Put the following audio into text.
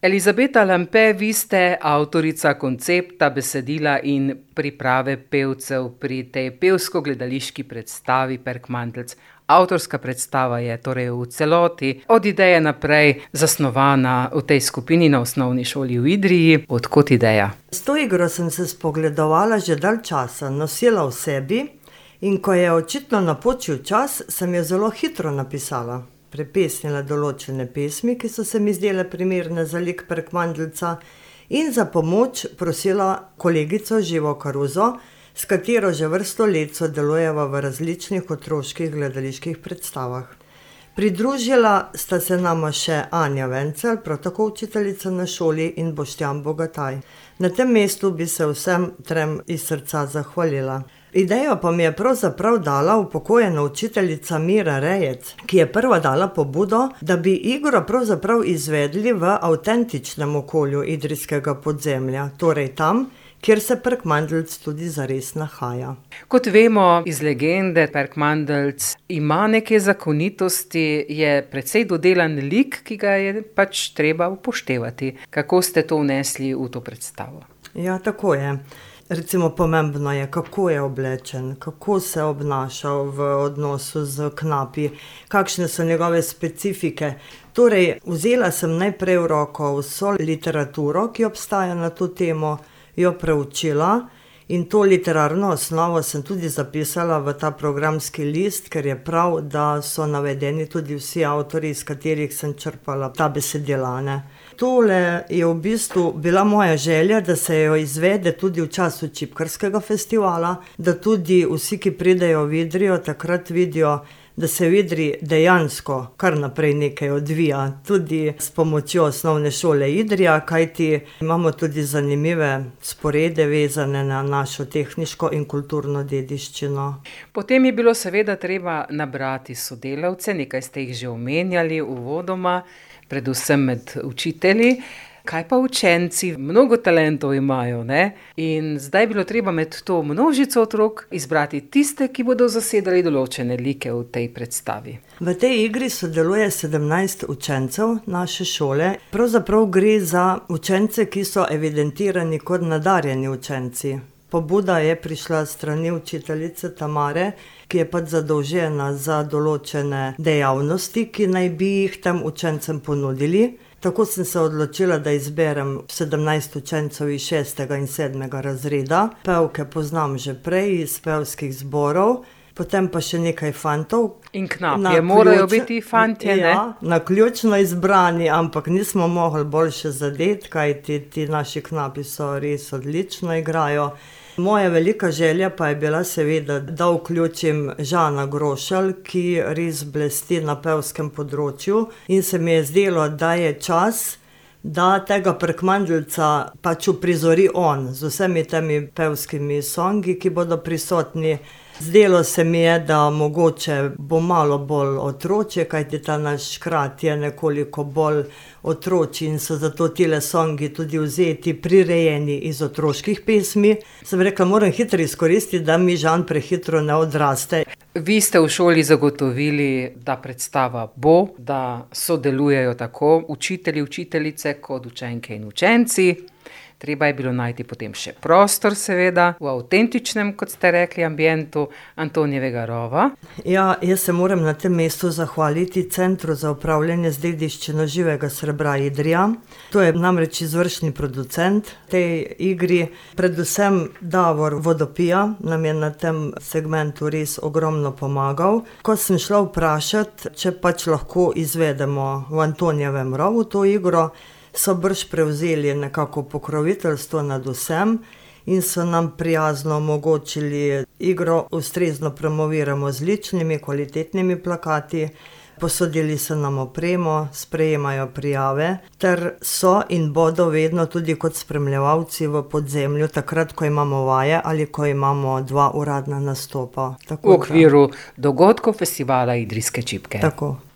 Elizabeta Lampe, vi ste avtorica koncepta, besedila in priprave pevcev pri tej pevsko-gledališki predstavi Perkmandeljc. Avtorska predstava je torej v celoti od ideje naprej zasnovana v tej skupini na osnovni šoli v Idriji. Od kod ideja? S to igro sem se spogledovala že dalj časa, nosila v sebi in ko je očitno napočil čas, sem jo zelo hitro napisala. Prepesnila določene pesmi, ki so se mi zdele primerne za lik Perkmandeljca, in za pomoč prosila kolegico Živo Karuzo, s katero že vrsto let sodelujeva v različnih otroških gledaliških predstavah. Pridružila sta se nama še Anja Vencelj, prav tako učiteljica na šoli, in Boštjan Bogataj. Na tem mestu bi se vsem trem iz srca zahvalila. Idejo pa mi je pravzaprav dala upokojena učiteljica Mira Rejec, ki je prva dala pobudo, da bi igro pravzaprav izvedli v avtentičnem okolju idrijskega podzemlja, torej tam, kjer se Perkmandeljc tudi zares nahaja. Kot vemo iz legende, Perkmandeljc ima neke zakonitosti, je precej dodelan lik, ki ga je pač treba upoštevati. Kako ste to vnesli v to predstavo? Ja, tako je. Recimo pomembno je, kako je oblečen, kako se obnaša v odnosu z knapi, kakšne so njegove specifike. Torej, vzela sem najprej v roko vso literaturo, ki obstaja na to temo, jo preučila in to literarno osnovo sem tudi zapisala v ta programski list, ker je prav, da so navedeni tudi vsi avtorji, iz katerih sem črpala ta besedila, ne. Tole je v bistvu bila moja želja, da se jo izvede tudi v času Čipkarskega festivala, da tudi vsi, ki pridejo v Idrijo, takrat vidijo, da se v Idriji dejansko kar naprej nekaj odvija, tudi s pomočjo osnovne šole Idrija, kajti imamo tudi zanimive sporede vezane na našo tehniško in kulturno dediščino. Potem je bilo seveda treba nabrati sodelavce, nekaj ste jih že omenjali uvodoma, predvsem med učitelji. Kaj pa učenci? Mnogo talentov imajo, ne? In zdaj je bilo treba med to množico otrok izbrati tiste, ki bodo zasedali določene like v tej predstavi. V tej igri sodeluje 17 učencev naše šole. Pravzaprav gre za učence, ki so evidentirani kot nadarjeni učenci. Pobuda je prišla s strani učiteljice Tamare, ki je pač zadolžena za določene dejavnosti, ki naj bi jih tem učencem ponudili. Tako sem se odločila, da izberem 17 učencev iz 6. in 7. razreda. Pevke poznam že prej iz pevskih zborov, potem pa še nekaj fantov. In knapje, morajo biti fantje, ne? Ja, naključno izbrani, ampak nismo mogli boljše zadeti, kajti ti naši knapi so res odlično igrajo. Moja velika želja pa je bila seveda, da vključim Žana Grošelj, ki res blesti na pevskem področju, in se mi je zdelo, da je čas, da tega Perkmandeljca pač uprizori on z vsemi temi pevskimi songi, ki bodo prisotni. Zdelo se mi je, da mogoče bo malo bolj otročje, kajti ta naš krat je nekoliko bolj otročji in so zato tile songi tudi vzeti, prirejeni iz otroških pesmi. Sem rekla, moram hitro izkoristiti, da mi Žan prehitro ne odraste. Vi ste v šoli zagotovili, da predstava bo, da sodelujejo tako učitelji, učiteljice kot učenke in učenci. Treba je bilo najti potem še prostor, seveda, v avtentičnem, kot ste rekli, ambientu Antonijevega rova. Ja, jaz se moram na tem mestu zahvaliti Centru za upravljanje z dediščino živega srebra Idrija. To je namreč izvršni producent tej igri. Predvsem Davor Vodopija nam je na tem segmentu res ogromno pomagal. Ko sem šla vprašati, če pač lahko izvedemo v Antonijevem rovu to igro, so brž prevzeli nekako pokroviteljstvo nad vsem in so nam prijazno omogočili igro, ustrezno promoviramo z ličnimi, kvalitetnimi plakati, posodili so nam opremo, sprejemajo prijave, ter so in bodo vedno tudi kot spremljevalci v podzemlju, takrat, ko imamo vaje ali ko imamo 2 uradna nastopa. V okviru dogodkov festivala Idrijske čipke. Tako.